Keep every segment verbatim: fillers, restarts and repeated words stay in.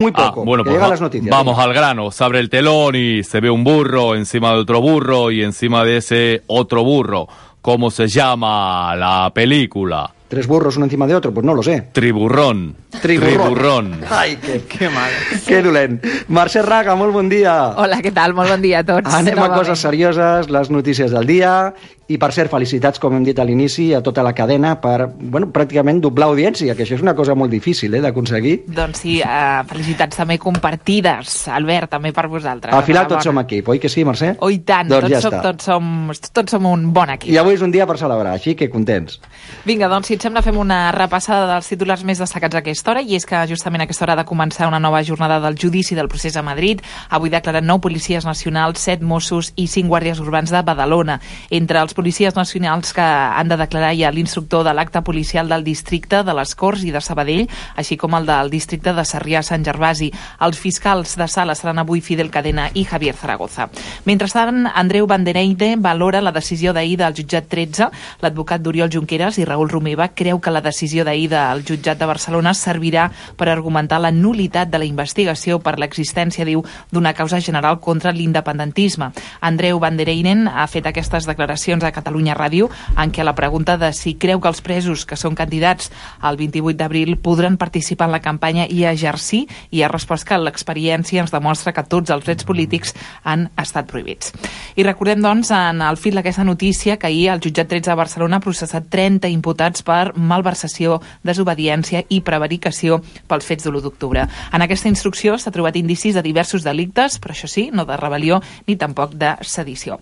Muy poco, ah, bueno, que pues llega va, las noticias. Vamos al grano, se abre el telón y se ve un burro encima de otro burro y encima de ese otro burro. ¿Cómo se llama la película? ¿Tres burros uno encima de otro? Pues no lo sé. Triburrón. Triburrón. Triburrón. Ai, que, que mal. Que dolent. Mercè Raga, molt bon dia. Hola, què tal? Molt bon dia a tots. Anem Novament. a coses serioses, les notícies del dia. I, per cert, felicitats, com hem dit a l'inici, a tota la cadena per, bueno, pràcticament doblar audiència, que això és una cosa molt difícil, eh, d'aconseguir. Doncs sí, uh, felicitats també compartides, Albert, també per vosaltres. Al final tots som equip, oi que sí, Mercè? Oh, i tant, doncs tots, ja som, està. tots, som, tots som un bon equip. I avui és un dia per celebrar, així que contents. Vinga, doncs, si et sembla, fem una repassada dels titulars més destacats a aquesta hora, i és que justament a aquesta hora ha de començar una nova jornada del judici del procés a Madrid. Avui declaren nou policies nacionals, set Mossos i cinc guàrdies urbans de Badalona. Entre els policies nacionals que han de declarar hi ha l'instructor de l'acte policial del districte de les Corts i de Sabadell, així com el del districte de Sarrià-Sant Gervasi. Els fiscals de sala seran avui Fidel Cadena i Javier Zaragoza. Mentrestant, Andreu Bandereide valora la decisió d'ahir del jutjat tretze. L'advocat d'Oriol Junqueras i Raül Romeva creu que la decisió d'ahir del jutjat de Barcelona servirà per argumentar la nulitat de la investigació per l'existència, diu, d'una causa general contra l'independentisme. Andreu Bandereiden ha fet aquestes declaracions a Catalunya Ràdio, en què la pregunta de si creu que els presos que són candidats el vint-i-vuit d'abril podran participar en la campanya i exercir, i ha respost que l'experiència ens demostra que tots els drets polítics han estat prohibits. I recordem, doncs, en el fil d'aquesta notícia que ahir el jutjat tretze de Barcelona ha processat trenta imputats per malversació, desobediència i prevaricació pels fets de l'u d'octubre. En aquesta instrucció s'ha trobat indicis de diversos delictes, però això sí, no de rebel·lió ni tampoc de sedició.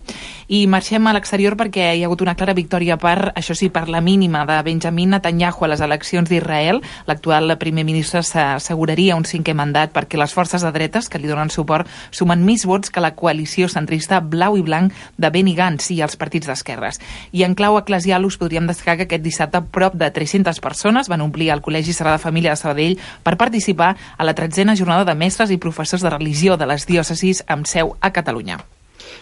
I marxem a l'exterior perquè hi ha hagut una clara victòria per, això sí, per la mínima de Benjamin Netanyahu a les eleccions d'Israel. L'actual primer ministre s'asseguraria un cinquè mandat perquè les forces de dretes que li donen suport sumen més vots que la coalició centrista blau i blanc de Benny Gantz i els partits d'esquerres. I en clau eclesial us podríem destacar que aquest dissabte prop de tres-centes persones van omplir el Col·legi Sagrada Família de Sabadell per participar a la tretzena jornada de mestres i professors de religió de les diòcesis amb seu a Catalunya.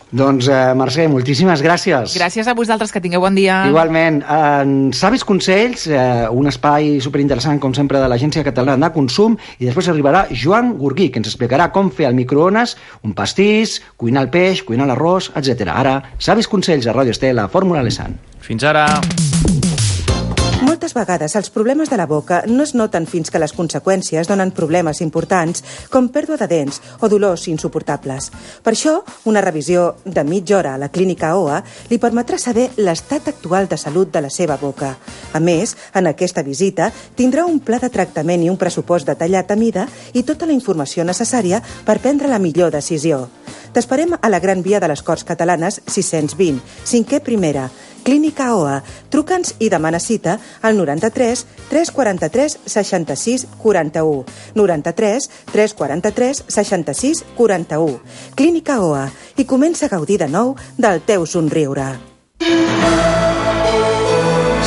Doncs, eh, Mercè, moltíssimes gràcies. Gràcies a vosaltres, que tingueu bon dia. Igualment. En Savis Consells, eh, un espai superinteressant, com sempre, de l'Agència Catalana de Consum, i després arribarà Joan Gurguí, que ens explicarà com fer al microones un pastís, cuinar el peix, cuinar l'arròs, etcètera. Ara, Savis Consells a Ràdio Estela, Fórmula Alessand. Fins ara. Moltes vegades els problemes de la boca no es noten fins que les conseqüències donen problemes importants com pèrdua de dents o dolors insuportables. Per això, una revisió de mitja hora a la clínica O A li permetrà saber l'estat actual de salut de la seva boca. A més, en aquesta visita tindrà un pla de tractament i un pressupost detallat a mida i tota la informació necessària per prendre la millor decisió. T'esperem a la Gran Via de les Corts Catalanes sis-cents vint, cinquè primera, Clínica O A. Truca'ns i demana cita al noranta-tres tres quaranta-tres seixanta-sis quaranta-u. noranta-tres tres quaranta-tres seixanta-sis quaranta-u. Clínica O A. I comença a gaudir de nou del teu somriure.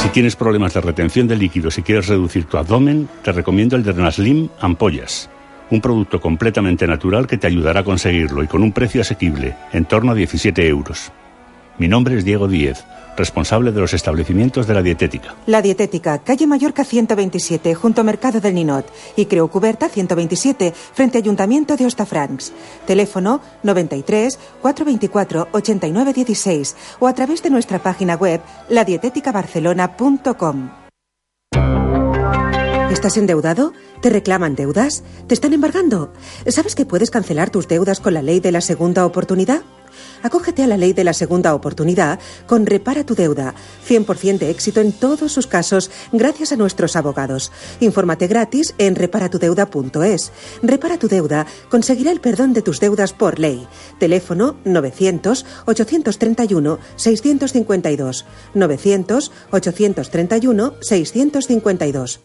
Si tienes problemas de retención de líquidos y quieres reducir tu abdomen, te recomiendo el Drenaslim Ampollas. Un producto completamente natural que te ayudará a conseguirlo y con un precio asequible, en torno a diecisiete euros. Mi nombre es Diego Díez, responsable de los establecimientos de La Dietética. La Dietética, calle Mallorca ciento veintisiete, junto a Mercado del Ninot, y Creu Cuberta ciento veintisiete, frente a Ayuntamiento de Hostafrancs. Teléfono noventa y tres, cuatrocientos veinticuatro, ochenta y nueve dieciséis o a través de nuestra página web la dietética barcelona punto com. ¿Estás endeudado? ¿Te reclaman deudas? ¿Te están embargando? ¿Sabes que puedes cancelar tus deudas con la ley de la segunda oportunidad? Acógete a la ley de la segunda oportunidad con Repara tu Deuda. cien por ciento de éxito en todos sus casos gracias a nuestros abogados. Infórmate gratis en repara tu deuda punto es. Repara tu Deuda conseguirá el perdón de tus deudas por ley. Teléfono novecientos, ochocientos treinta y uno, seiscientos cincuenta y dos. novecientos, ochocientos treinta y uno, seiscientos cincuenta y dos.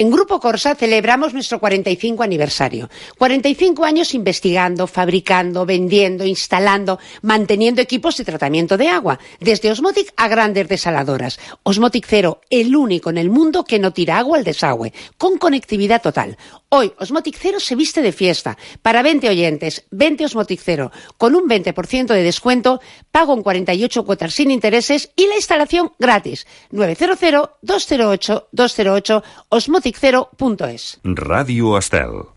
En Grupo Corsa celebramos nuestro cuarenta y cinco aniversario. cuarenta y cinco años investigando, fabricando, vendiendo, instalando, manteniendo equipos de tratamiento de agua, desde Osmotic a grandes desaladoras. Osmotic Cero, el único en el mundo que no tira agua al desagüe, con conectividad total. Hoy Osmotic Cero se viste de fiesta. Para veinte oyentes, veinte Osmotic Cero, con un veinte por ciento de descuento, pago en cuarenta y ocho cuotas sin intereses y la instalación gratis. nueve cero cero, dos cero ocho, dos cero ocho, osmotic cero punto es. Ràdio Estel.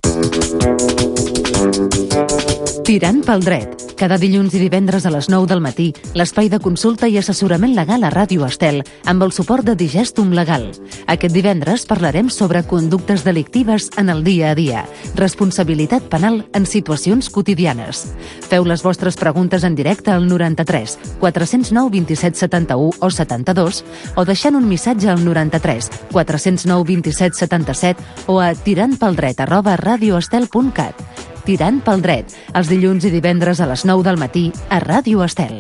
Tirant pel dret. Cada dilluns i divendres a les nou del matí, l'espai de consulta i assessorament legal a Ràdio Estel, amb el suport de Digestum Legal. Aquest divendres parlarem sobre conductes delictives en el dia a dia, responsabilitat penal en situacions quotidianes. Feu les vostres preguntes en directe al noranta-tres quatre zero nou vint set setanta-u o setanta-dos o deixant un missatge al noranta-tres quatre zero nou vint set setanta-set o a tirantpeldret arroba radioestel punt cat. Tirant pel dret, els dilluns i divendres a les nou del matí a Ràdio Estel.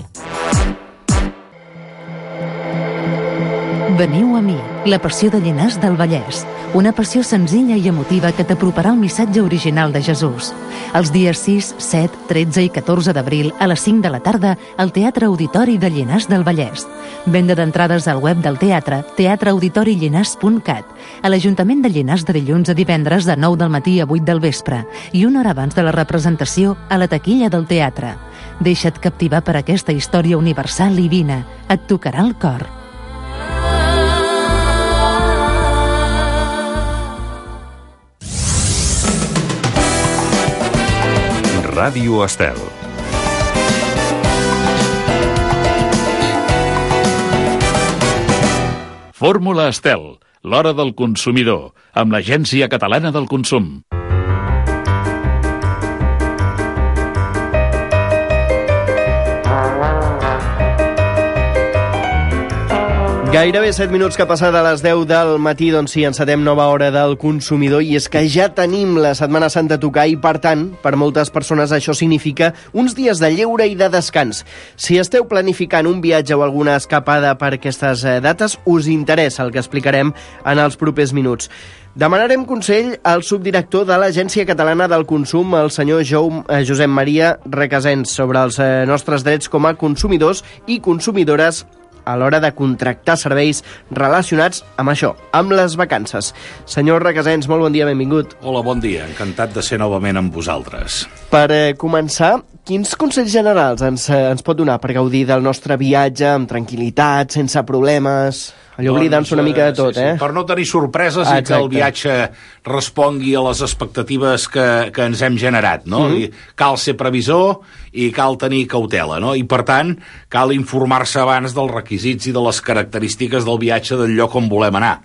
Veniu a mi, la passió de Llinars del Vallès. Una passió senzilla i emotiva que t'aproparà el missatge original de Jesús. Els dies sis, set, tretze i catorze d'abril a les cinc de la tarda al Teatre Auditori de Llinars del Vallès. Venda d'entrades al web del teatre teatre auditori llinars punt cat. A l'Ajuntament de Llinars de dilluns a divendres de nou del matí a vuit del vespre i una hora abans de la representació a la taquilla del teatre. Deixa't captivar per aquesta història universal i vine. Et tocarà el cor. Ràdio Estel. Fórmula Estel, l'hora del consumidor, amb l'Agència Catalana del Consum. Gairebé set minuts que ha passat a les deu del matí, doncs sí, encetem nova hora del consumidor, i és que ja tenim la Setmana Santa a tocar i, per tant, per moltes persones això significa uns dies de lleure i de descans. Si esteu planificant un viatge o alguna escapada per aquestes dates, us interessa el que explicarem en els propers minuts. Demanarem consell al subdirector de l'Agència Catalana del Consum, el senyor Josep Maria Requesens, sobre els nostres drets com a consumidors i consumidores a l'hora de contractar serveis relacionats amb això, amb les vacances. Senyor Requesens, molt bon dia, benvingut. Hola, bon dia, encantat de ser novament amb vosaltres. Per eh, començar, quins consells generals ens, eh, ens pot donar per gaudir del nostre viatge amb tranquil·litat, sense problemes? Allò oblidant-se doncs, una mica de tot, sí, sí. eh? Per no tenir sorpreses ah, i que el viatge respongui a les expectatives que, que ens hem generat, no? Mm-hmm. I cal ser previsor i cal tenir cautela, no? I, per tant, cal informar-se abans dels requisits i de les característiques del viatge del lloc on volem anar.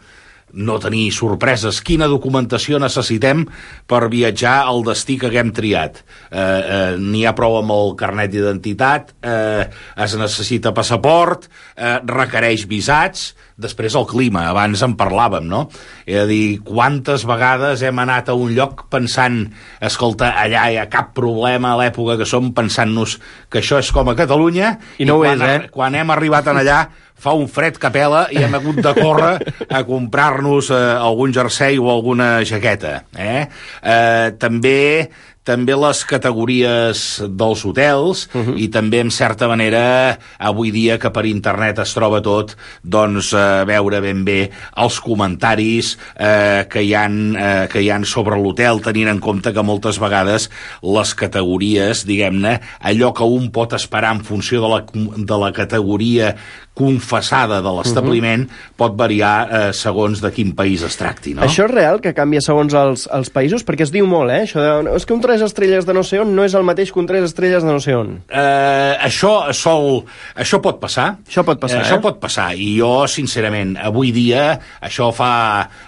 No tenir sorpreses. Quina documentació necessitem per viatjar al destí que haguem triat? Eh, eh, n'hi ha prou amb el carnet d'identitat, eh, es necessita passaport, eh, requereix visats, després el clima, abans en parlàvem, no? És a dir, quantes vegades hem anat a un lloc pensant, escolta, allà hi ha cap problema a l'època que som, pensant-nos que això és com a Catalunya, i, no i quan, és, eh? quan hem arribat en allà fa un fred que pela i hem hagut de córrer a comprar-nos eh, algun jersei o alguna jaqueta. Eh? Eh, també també les categories dels hotels uh-huh. i també, en certa manera, avui dia que per internet es troba tot, doncs eh, veure ben bé els comentaris eh, que, hi han, eh, que hi han sobre l'hotel, tenint en compte que moltes vegades les categories, diguem-ne, allò que un pot esperar en funció de la, de la categoria confessada de l'establiment uh-huh. pot variar eh, segons de quin país es tracti, no? Això és real, que canvia segons els, els països? Perquè es diu molt, eh? Això de, és que un tres estrelles de no sé on no és el mateix que un tres estrelles de no sé on. Eh, això sol... Això pot passar. Això pot passar, eh? Això pot passar. I jo, sincerament, avui dia, això fa,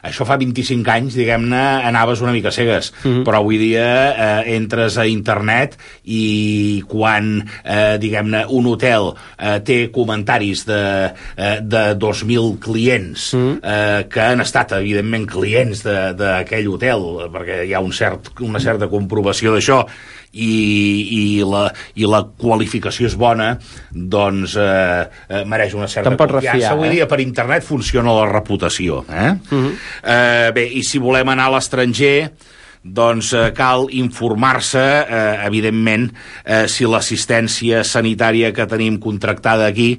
això fa vint-i-cinc anys, diguem-ne, anaves una mica cegues. Uh-huh. Però avui dia eh, entres a internet i quan, eh, diguem-ne, un hotel eh, té comentaris de de dos mil clients mm. eh, que han estat, evidentment, clients d'aquell hotel, perquè hi ha un cert, una certa comprovació d'això, i, i, la, i la qualificació és bona, doncs eh, eh, mereix una certa confiança. Refiar, Avui eh? dia per internet funciona la reputació. Eh? Mm-hmm. Eh, bé, i si volem anar a l'estranger, doncs eh, cal informar-se, eh, evidentment, eh, si l'assistència sanitària que tenim contractada aquí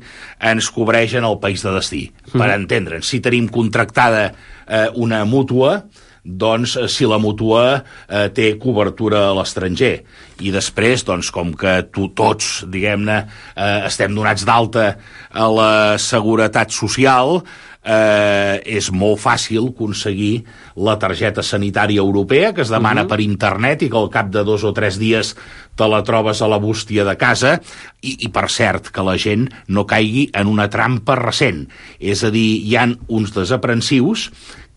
ens cobreix en el país de destí. Mm. Per entendre'ns, si tenim contractada eh, una mútua, doncs si la mútua eh, té cobertura a l'estranger. I després, doncs, com que tu tots, diguem-ne, eh, estem donats d'alta a la Seguretat Social, eh, és molt fàcil aconseguir la targeta sanitària europea, que es demana uh-huh. per internet i que al cap de dos o tres dies te la trobes a la bústia de casa, i, i per cert, que la gent no caigui en una trampa recent. És a dir, hi ha uns desaprensius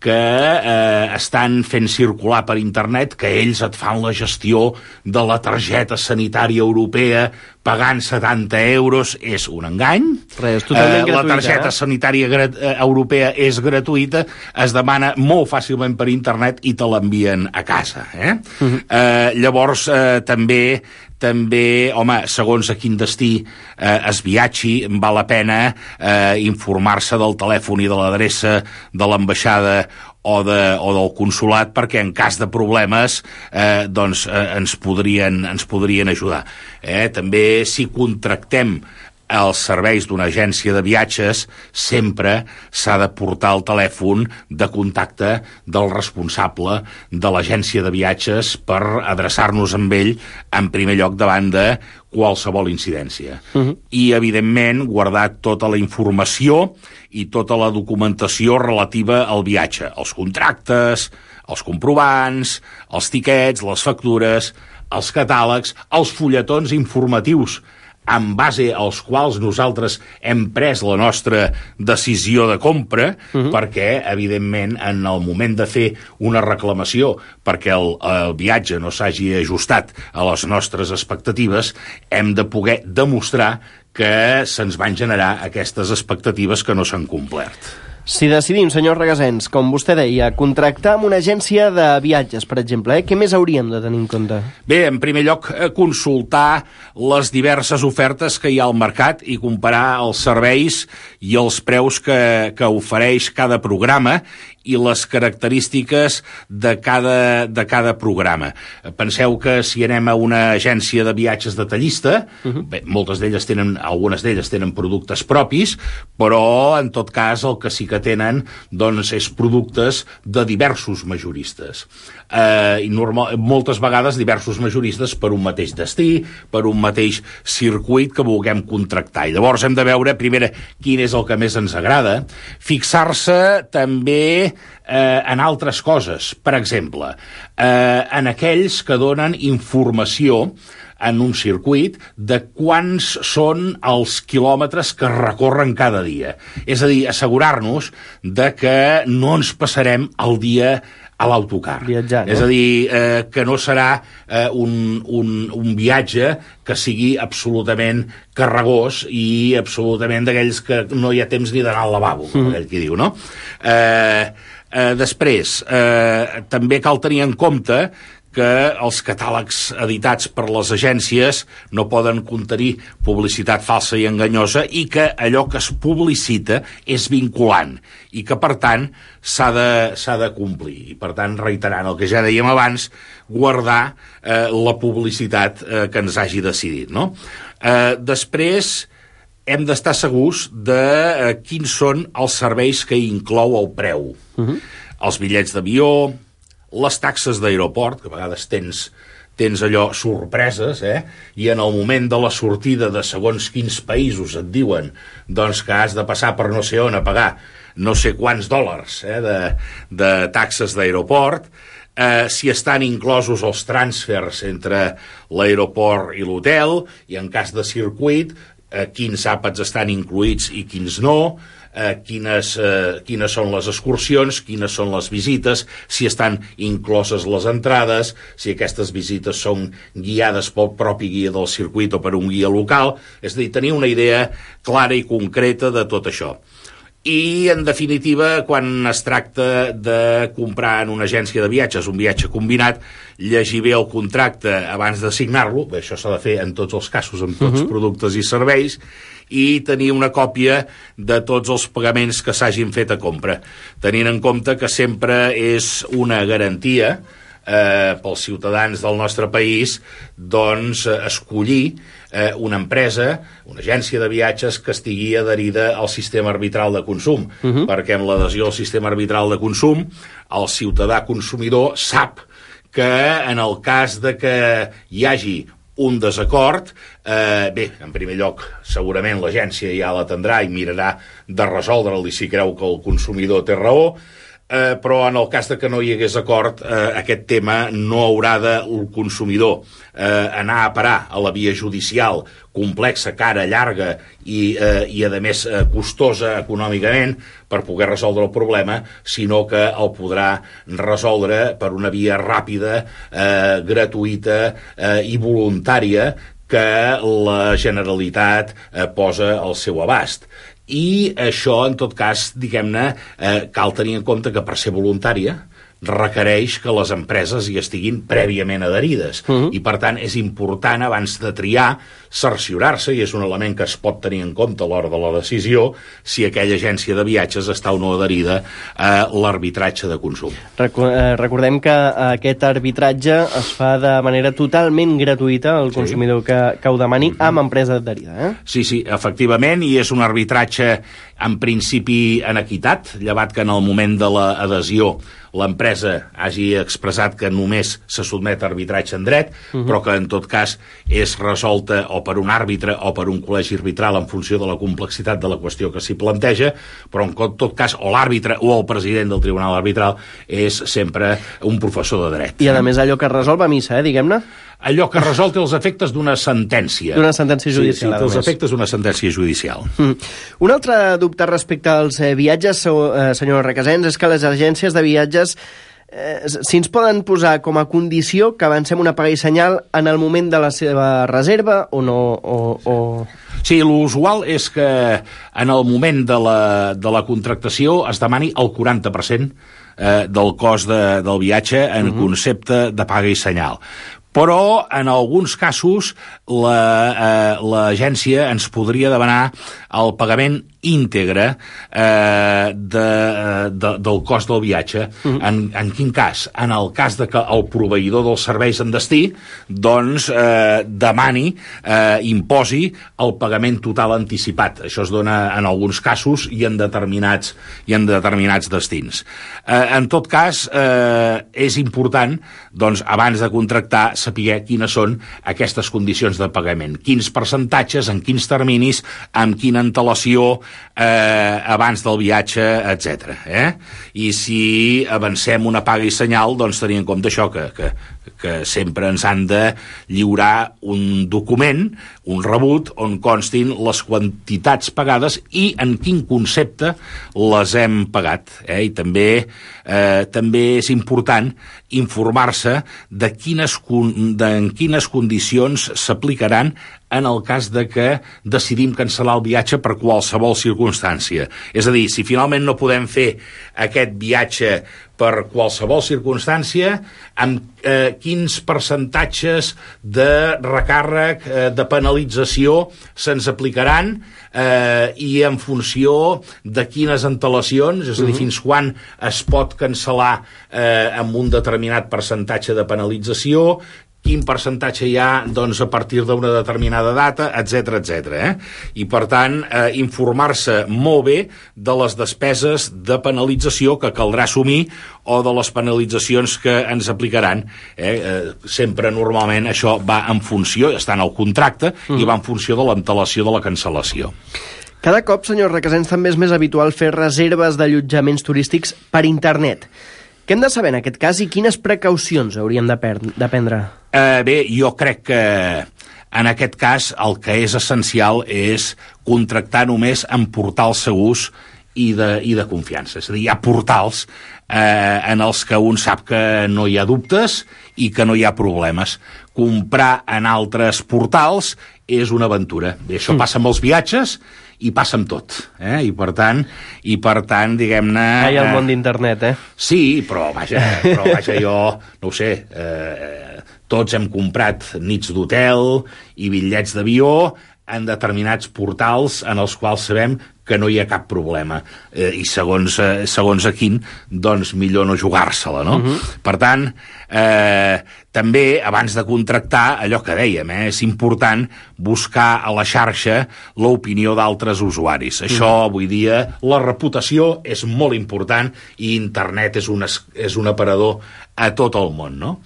que eh, estan fent circular per internet que ells et fan la gestió de la targeta sanitària europea pagant setanta euros. És un engany. Res, totalment eh, gratuïta. La targeta eh? sanitària grat eh, europea és gratuïta, es demana molt fàcilment per internet i te l'envien a casa. Eh? Uh-huh. Eh, llavors, eh, també també, home, segons a quin destí eh, es viatgi, val la pena eh, informar-se del telèfon i de l'adreça de l'ambaixada o, de, o del consulat, perquè en cas de problemes eh, doncs, eh, ens, podrien, ens podrien ajudar. Eh? També, si contractem els serveis d'una agència de viatges, sempre s'ha de portar el telèfon de contacte del responsable de l'agència de viatges per adreçar-nos amb ell en primer lloc davant de qualsevol incidència. Uh-huh. I, evidentment, guardar tota la informació i tota la documentació relativa al viatge, els contractes, els comprovants, els tiquets, les factures, els catàlegs, els fulletons informatius en base als quals nosaltres hem pres la nostra decisió de compra, uh-huh. perquè, evidentment, en el moment de fer una reclamació perquè el, el viatge no s'hagi ajustat a les nostres expectatives, hem de poder demostrar que se'ns van generar aquestes expectatives que no s'han complert. Si decidim, senyor Regasens, com vostè deia, contractar amb una agència de viatges, per exemple, eh? Què més hauríem de tenir en compte? Bé, en primer lloc, consultar les diverses ofertes que hi ha al mercat i comparar els serveis i els preus que, que ofereix cada programa i les característiques de cada, de cada programa. Penseu que si anem a una agència de viatges detallista, uh-huh. bé, moltes d'elles tenen, algunes d'elles tenen productes propis, però en tot cas el que sí que tenen doncs, és productes de diversos majoristes. Eh, i normal, moltes vegades diversos majoristes per un mateix destí, per un mateix circuit que vulguem contractar. I llavors hem de veure, primera, quin és el que més ens agrada, fixar-se també Eh, en altres coses. Per exemple, eh, en aquells que donen informació en un circuit de quants són els quilòmetres que recorren cada dia. És a dir, assegurar-nos de que no ens passarem el dia a l'autocar. Viatjar, no? És a dir, eh, que no serà eh, un, un, un viatge que sigui absolutament carregós i absolutament d'aquells que no hi ha temps ni d'anar al lavabo, com aquell qui diu, no? Eh, eh, després, eh, també cal tenir en compte que els catàlegs editats per les agències no poden contenir publicitat falsa i enganyosa i que allò que es publicita és vinculant i que, per tant, s'ha de, s'ha de complir. I, per tant, reiterant el que ja dèiem abans, guardar eh, la publicitat eh, que ens hagi decidit, no? Eh, després, hem d'estar segurs de eh, quins són els serveis que inclou el preu. Uh-huh. Els bitllets d'avió, les taxes d'aeroport, que a vegades tens, tens allò sorpreses, eh? I en el moment de la sortida de segons quins països et diuen doncs, que has de passar per no sé on a pagar no sé quants dòlars eh? de, de taxes d'aeroport, eh, si estan inclosos els transfers entre l'aeroport i l'hotel, i en cas de circuit, eh, quins àpats estan incluïts i quins no, eh, quines, eh, quines són les excursions, quines són les visites, si estan incloses les entrades, si aquestes visites són guiades pel propi guia del circuit o per un guia local, és a dir, tenir una idea clara i concreta de tot això. I, en definitiva, quan es tracta de comprar en una agència de viatges un viatge combinat, llegir bé el contracte abans de signar-lo, bé, això s'ha de fer en tots els casos, amb tots els uh-huh. productes i serveis, i tenir una còpia de tots els pagaments que s'hagin fet a compra, tenint en compte que sempre és una garantia eh, pels ciutadans del nostre país doncs eh, escollir eh, una empresa, una agència de viatges que estigui adherida al sistema arbitral de consum, uh-huh. perquè amb l'adhesió al sistema arbitral de consum el ciutadà consumidor sap que en el cas de que hi hagi un desacord, eh, bé, en primer lloc, segurament l'agència ja l'atendrà i mirarà de resoldre'l i si creu que el consumidor té raó, eh, però en el cas de que no hi hagués acord, eh, aquest tema no haurà de el consumidor eh, anar a parar a la via judicial complexa, cara, llarga i, eh, i a més, eh, costosa econòmicament per poder resoldre el problema, sinó que el podrà resoldre per una via ràpida, eh, gratuïta eh, i voluntària que la Generalitat eh, posa al seu abast. I això, en tot cas, diguem-ne, eh, cal tenir en compte que per ser voluntària requereix que les empreses hi estiguin prèviament adherides. Uh-huh. I, per tant, és important, abans de triar, cerciorar-se, i és un element que es pot tenir en compte a l'hora de la decisió, si aquella agència de viatges està o no adherida a l'arbitratge de consum. Recordem que aquest arbitratge es fa de manera totalment gratuïta al consumidor sí. que, que ho demani amb empresa adherida. Eh? Sí, sí, efectivament, i és un arbitratge en principi en equitat, llevat que en el moment de l'adhesió l'empresa hagi expressat que només se sotmet a arbitratge en dret, uh-huh. però que en tot cas és resolta o per un àrbitre o per un col·legi arbitral en funció de la complexitat de la qüestió que s'hi planteja, però en tot cas o l'àrbitre o el president del tribunal arbitral és sempre un professor de dret. I a més allò que es resol va a missa, eh, diguem-ne? Allò que resol té els efectes d'una sentència. D'una sentència judicial. Sí, sí, té els efectes d'una sentència judicial. Mm. Un altre dubte respecte als eh, viatges, eh, senyor Requesens, és que les agències de viatges eh, si ens poden posar com a condició que avancem una paga i senyal en el moment de la seva reserva o no... O, o... Sí, l'usual és que en el moment de la, de la contractació es demani el quaranta per cent eh, del cost de, del viatge en uh-huh. concepte de paga i senyal. Però, en alguns casos, l'agència la, eh, ens podria demanar el pagament íntegre eh, de, de, del cost del viatge. Mm. En, en quin cas? En el cas de que el proveïdor dels serveis en destí doncs eh, demani, eh, imposi el pagament total anticipat. Això es dona en alguns casos i en determinats, i en determinats destins. Eh, en tot cas, eh, és important, doncs, abans de contractar, saber quines són aquestes condicions de pagament, quins percentatges, en quins terminis, amb quina antelació eh, abans del viatge, etcètera. Eh? I si avancem una paga i senyal, doncs tenir en compte això, que, que, que sempre ens han de lliurar un document, un rebut, on constin les quantitats pagades i en quin concepte les hem pagat. Eh? I també, eh, també és important informar-se de quines, de en quines condicions s'aplicaran en el cas de que decidim cancel·lar el viatge per qualsevol circumstància. És a dir, si finalment no podem fer aquest viatge per qualsevol circumstància, amb eh, quins percentatges de recàrrec, eh, de penalització se'ns aplicaran eh, i en funció de quines antelacions, és a dir, uh-huh. fins quan es pot cancel·lar eh, amb un determinat percentatge de penalització, quin percentatge hi ha doncs, a partir d'una determinada data, etcètera, etcètera. Eh? I, per tant, eh, informar-se molt bé de les despeses de penalització que caldrà assumir o de les penalitzacions que ens aplicaran. Eh? Eh, sempre, normalment, això va en funció, està en el contracte, mm. i va en funció de l'antelació de la cancel·lació. Cada cop, senyor Requesens, també és més habitual fer reserves d'allotjaments turístics per internet. Què hem de saber en aquest cas i quines precaucions hauríem de, de prendre? Eh, bé, jo crec que en aquest cas el que és essencial és contractar només en portals segurs i de, i de confiança. És a dir, hi ha portals eh, en els que un sap que no hi ha dubtes i que no hi ha problemes. Comprar en altres portals és una aventura. Bé, això passa amb els viatges i passa amb tot, eh? I per tant, i per tant, diguem-ne... Hi ha el món d'internet, eh? Sí, però vaja, però vaja, jo, no ho sé, eh, tots hem comprat nits d'hotel i bitllets d'avió en determinats portals en els quals sabem que no hi ha cap problema. Eh, I segons, eh, segons a quin, doncs millor no jugar-se-la, no? Uh-huh. Per tant, eh, també, abans de contractar, allò que dèiem, eh, és important buscar a la xarxa l'opinió d'altres usuaris. Uh-huh. Això, avui dia, la reputació és molt important i internet és un, és un aparador a tot el món, no?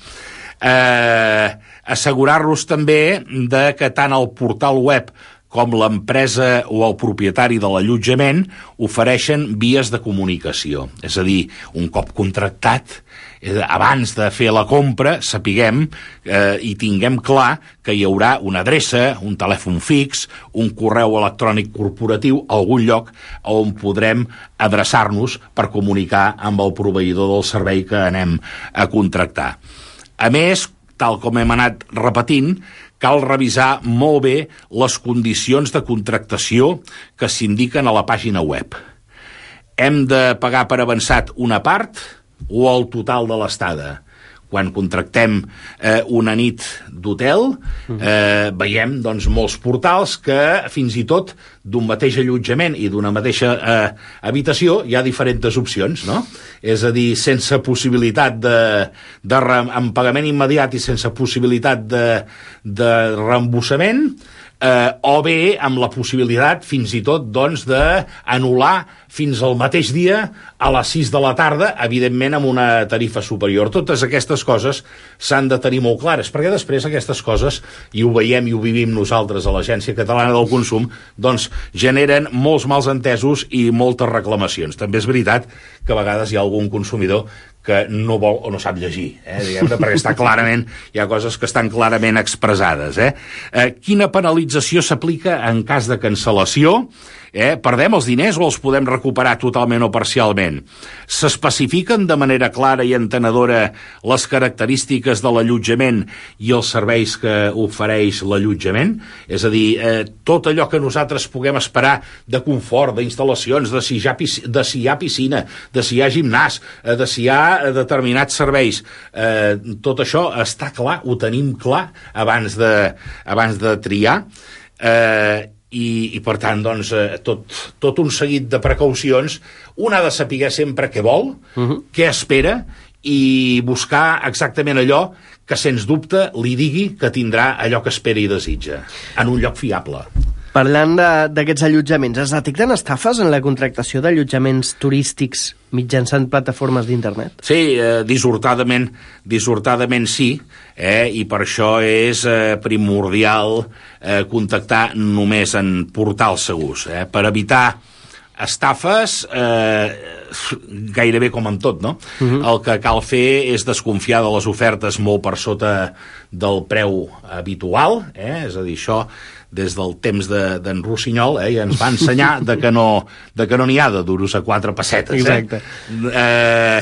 Eh, assegurar-nos també de que tant el portal web com l'empresa o el propietari de l'allotjament ofereixen vies de comunicació. És a dir, un cop contractat, abans de fer la compra, sapiguem eh, i tinguem clar que hi haurà una adreça, un telèfon fix, un correu electrònic corporatiu, algun lloc on podrem adreçar-nos per comunicar amb el proveïdor del servei que anem a contractar. A més, tal com hem anat repetint, cal revisar molt bé les condicions de contractació que s'indiquen a la pàgina web. Hem de pagar per avançat una part o el total de l'estada? Quan contractem eh, una nit d'hotel, eh, veiem doncs, molts portals que fins i tot d'un mateix allotjament i d'una mateixa eh, habitació hi ha diferents opcions, no? És a dir, sense possibilitat de, de re, amb pagament immediat i sense possibilitat de, de reembossament, eh, o bé amb la possibilitat fins i tot doncs, d'anul·lar fins al mateix dia a les sis de la tarda, evidentment amb una tarifa superior. Totes aquestes coses s'han de tenir molt clares, perquè després aquestes coses, i ho veiem i ho vivim nosaltres a l'Agència Catalana del Consum, doncs generen molts mals entesos i moltes reclamacions. També és veritat que a vegades hi ha algun consumidor que no vol o no sap llegir, eh, diguem-ne, perquè està clarament, hi ha coses que estan clarament expressades. Eh? Eh, quina penalització s'aplica en cas de cancel·lació? Eh, perdem els diners o els podem recuperar totalment o parcialment? S'especifiquen de manera clara i entenedora les característiques de l'allotjament i els serveis que ofereix l'allotjament? És a dir, eh, tot allò que nosaltres puguem esperar de confort, d'instal·lacions, de si hi ha, de si hi ha piscina, de si hi ha gimnàs, de si hi ha determinats serveis, eh, tot això està clar, ho tenim clar abans de, abans de triar. Eh, I, i per tant, doncs, eh, tot, tot un seguit de precaucions. Un ha de saber sempre què vol, uh-huh. què espera, i buscar exactament allò que, sens dubte, li digui que tindrà allò que espera i desitja, en un lloc fiable. Parlant d'aquests allotjaments, es detecten estafes en la contractació d'allotjaments turístics mitjançant plataformes d'internet? Sí, eh, dissortadament, dissortadament sí, eh, i per això és eh, primordial eh, contactar només en portals segurs, eh, per evitar estafes, eh, gairebé com amb tot, no? Uh-huh. El que cal fer és desconfiar de les ofertes molt per sota del preu habitual, eh? És a dir, això des del temps d'en de, Rossinyol, eh, ja ens va ensenyar de que no de que no n'hi ha de duros a quatre pessetes. Exacte. Eh? Eh,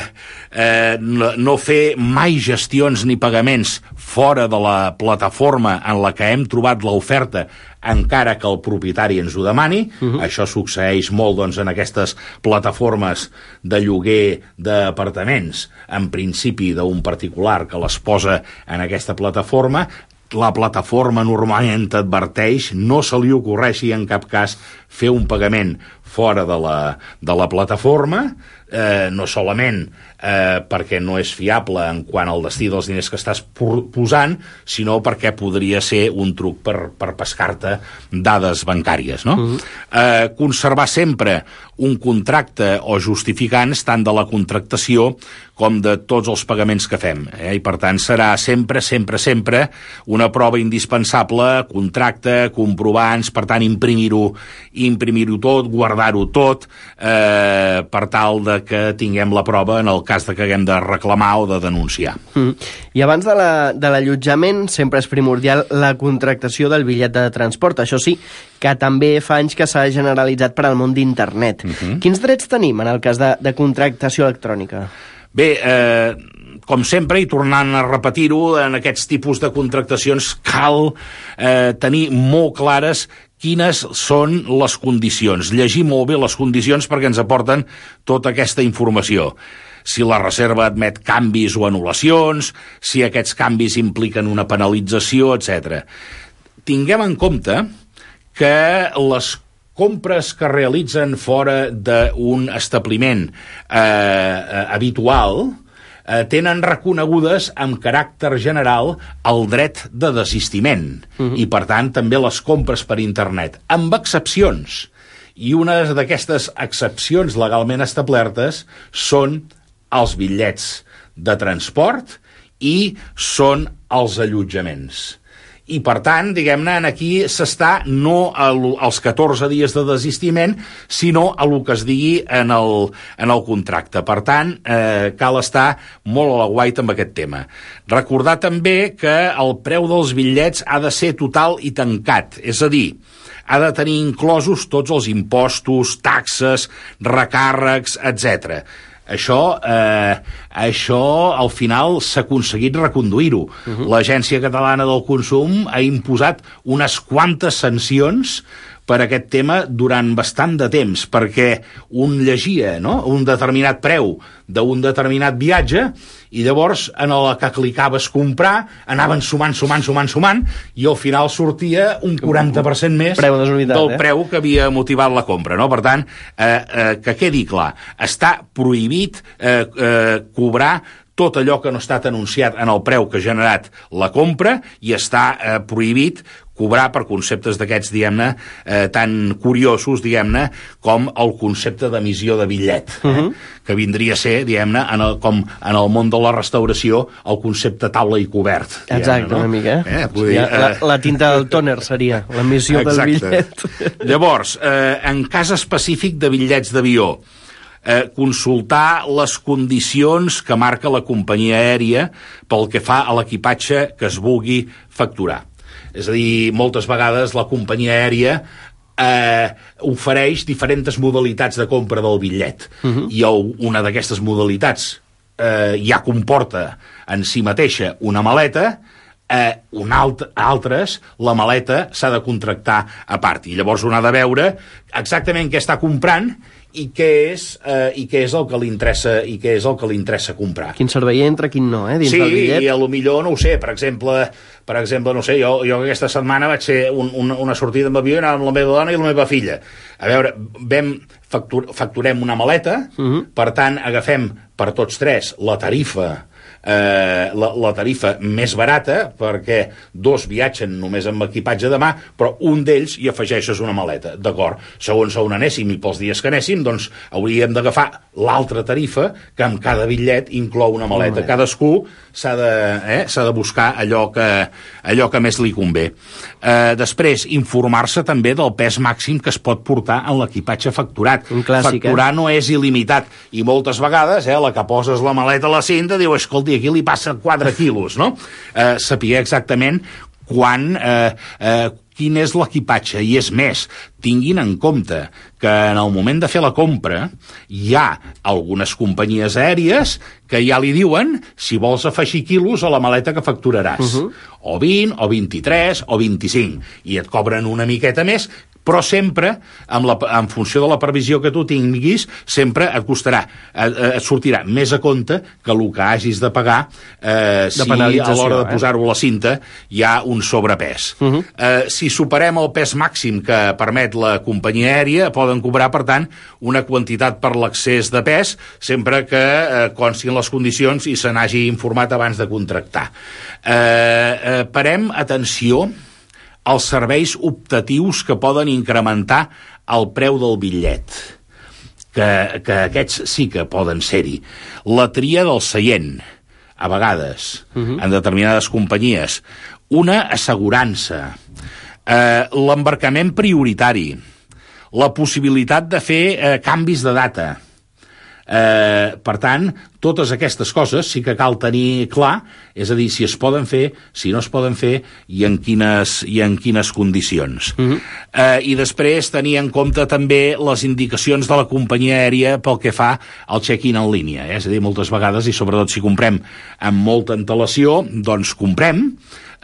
eh, no, no fer mai gestions ni pagaments fora de la plataforma en la que hem trobat l'oferta, encara que el propietari ens ho demani. Uh-huh. Això succeeix molt, doncs, en aquestes plataformes de lloguer d'apartaments, en principi d'un particular que les posa en aquesta plataforma. La plataforma normalment t'adverteix, no se li ocorreixi en cap cas fer un pagament fora de la, de la plataforma, eh, no solament eh, perquè no és fiable en quant al destí dels diners que estàs posant, sinó perquè podria ser un truc per, per pescar-te dades bancàries, no? Uh-huh. eh, conservar sempre un contracte o justificants tant de la contractació com de tots els pagaments que fem, eh? I per tant serà sempre, sempre, sempre una prova indispensable, contracte, comprovants, per tant imprimir-ho imprimir-ho tot, guardar-ho tot, eh, per tal de que tinguem la prova en el cas de que haguem de reclamar o de denunciar. Mm. I abans de l'allotjament la, sempre és primordial la contractació del bitllet de transport. Això sí, que també fa anys que s'ha generalitzat per al món d'internet. Mm-hmm. Quins drets tenim en el cas de, de contractació electrònica? Bé, eh, com sempre, i tornant a repetir-ho, en aquests tipus de contractacions cal eh, tenir molt clares quines són les condicions. Llegir molt bé les condicions perquè ens aporten tota aquesta informació. Si la reserva admet canvis o anul·lacions, si aquests canvis impliquen una penalització, etcètera. Tinguem en compte que les compres que realitzen fora d'un establiment eh, eh, habitual eh, tenen reconegudes amb caràcter general el dret de desistiment. Uh-huh. I, per tant, també les compres per internet, amb excepcions. I una d'aquestes excepcions legalment establertes són els bitllets de transport i són els allotjaments. I, per tant, diguem-ne, aquí s'està no als catorze dies de desistiment, sinó a lo que es digui en el, en el contracte. Per tant, eh, cal estar molt a l'aguait amb aquest tema. Recordar també que el preu dels bitllets ha de ser total i tancat, és a dir, ha de tenir inclosos tots els impostos, taxes, recàrrecs, etcètera. Això, eh, això al final s'ha aconseguit reconduir-ho. Uh-huh. L'Agència Catalana del Consum ha imposat unes quantes sancions per aquest tema durant bastant de temps, perquè un llegia, no?, un determinat preu d'un determinat viatge i llavors en la que clicaves comprar anaven sumant, sumant, sumant, sumant i al final sortia un quaranta per cent més preu desunitat, del eh? preu que havia motivat la compra, no? Per tant, eh, eh, que quedi clar, està prohibit eh, eh, cobrar tot allò que no ha estat anunciat en el preu que ha generat la compra i està eh, prohibit cobrar per conceptes d'aquests, diguem-ne, eh, tan curiosos, diguem-ne, com el concepte d'emissió de bitllet, eh? Uh-huh. Que vindria a ser, diguem-ne, en el, com en el món de la restauració, el concepte taula i cobert. Exacte, no? Una mica. Eh? Eh, dir, ja, la, la tinta del tòner seria l'emissió del bitllet. Llavors, eh, en cas específic de bitllets d'avió, Eh, consultar les condicions que marca la companyia aèria pel que fa a l'equipatge que es vulgui facturar. És a dir, moltes vegades la companyia aèria eh, ofereix diferents modalitats de compra del bitllet. Uh-huh. I una d'aquestes modalitats eh, ja comporta en si mateixa una maleta, eh, un alt, altres, la maleta s'ha de contractar a part. I llavors un ha de veure exactament què està comprant i què és, eh, i què és el que li interessa i què és el que li interessa comprar. Quin servei entra, quin no, eh, dins sí, del bitllet. Sí, i a lo millor, no ho sé, per exemple, per exemple, no sé, jo, jo aquesta setmana vaig fer un, un, una sortida amb avió amb la meva dona i la meva filla. A veure, vam factur, facturem una maleta, uh-huh. Per tant, agafem per tots tres la tarifa Eh, la, la tarifa més barata, perquè dos viatgen només amb equipatge de mà, però un d'ells hi afegeixes una maleta, d'acord? Segons on anéssim i pels dies que anéssim, doncs hauríem d'agafar l'altra tarifa, que amb cada bitllet inclou una maleta. Cadascú s'ha de, eh, s'ha de buscar allò que, allò que més li convé. Eh, després, informar-se també del pes màxim que es pot portar en l'equipatge facturat. Un clàssic, Facturar eh? no és il·limitat, i moltes vegades, eh, la que poses la maleta a la cinta, diu, escolti, aquí li passa quatre quilos, no? Eh, saber exactament quan, eh, eh, quin és l'equipatge, i és més, tinguin en compte que en el moment de fer la compra hi ha algunes companyies aèries que ja li diuen si vols afegir quilos a la maleta que facturaràs. Uh-huh. O vint, o vint-i-tres, o vint-i-cinc, i et cobren una miqueta més, però sempre, amb la, en funció de la previsió que tu tinguis, sempre et costarà, et, et sortirà més a compte que el que hagis de pagar eh, si a l'hora de posar-ho a la cinta hi ha un sobrepès. Uh-huh. Eh, si superem el pes màxim que permet la companyia aèria, poden cobrar, per tant, una quantitat per l'excés de pes, sempre que eh, constin les condicions i se n'hagi informat abans de contractar. Eh, eh, parem atenció els serveis optatius que poden incrementar el preu del bitllet, que, que aquests sí que poden ser-hi. La tria del seient, a vegades, uh-huh. en determinades companyies. Una assegurança, eh, l'embarcament prioritari, la possibilitat de fer eh, canvis de data. Eh, per tant, totes aquestes coses sí que cal tenir clar, és a dir, si es poden fer, si no es poden fer i en quines, i en quines condicions. Uh-huh. eh, I després tenir en compte també les indicacions de la companyia aèria pel que fa al check-in en línia, eh? És a dir, moltes vegades, i sobretot si comprem amb molta antelació, doncs comprem,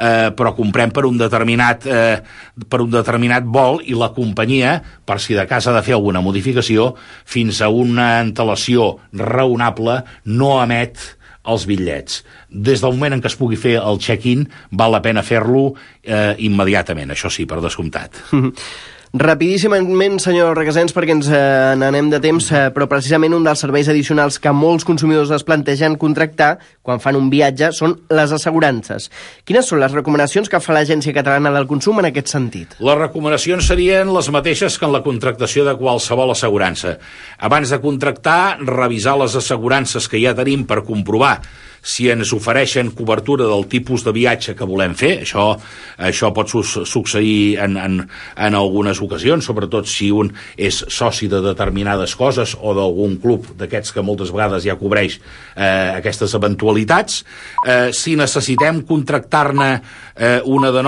Eh, però comprem per un determinat eh, per un determinat vol, i la companyia, per si de cas ha de fer alguna modificació, fins a una antelació raonable no emet els bitllets. Des del moment en què es pugui fer el check-in, val la pena fer-lo eh, immediatament, això sí, per descomptat. Rapidíssimament, senyor Requesens, perquè ens eh, n'anem de temps, eh, però precisament un dels serveis addicionals que molts consumidors es plantegen contractar quan fan un viatge són les assegurances. Quines són les recomanacions que fa l'Agència Catalana del Consum en aquest sentit? Les recomanacions serien les mateixes que en la contractació de qualsevol assegurança. Abans de contractar, revisar les assegurances que ja tenim per comprovar si ens ofereixen cobertura del tipus de viatge que volem fer. Això, això pot su succeir en, en, en algunes ocasions, sobretot si un és soci de determinades coses o d'algun club d'aquests que moltes vegades ja cobreix eh, aquestes eventualitats. Eh, si necessitem contractar-ne eh, una de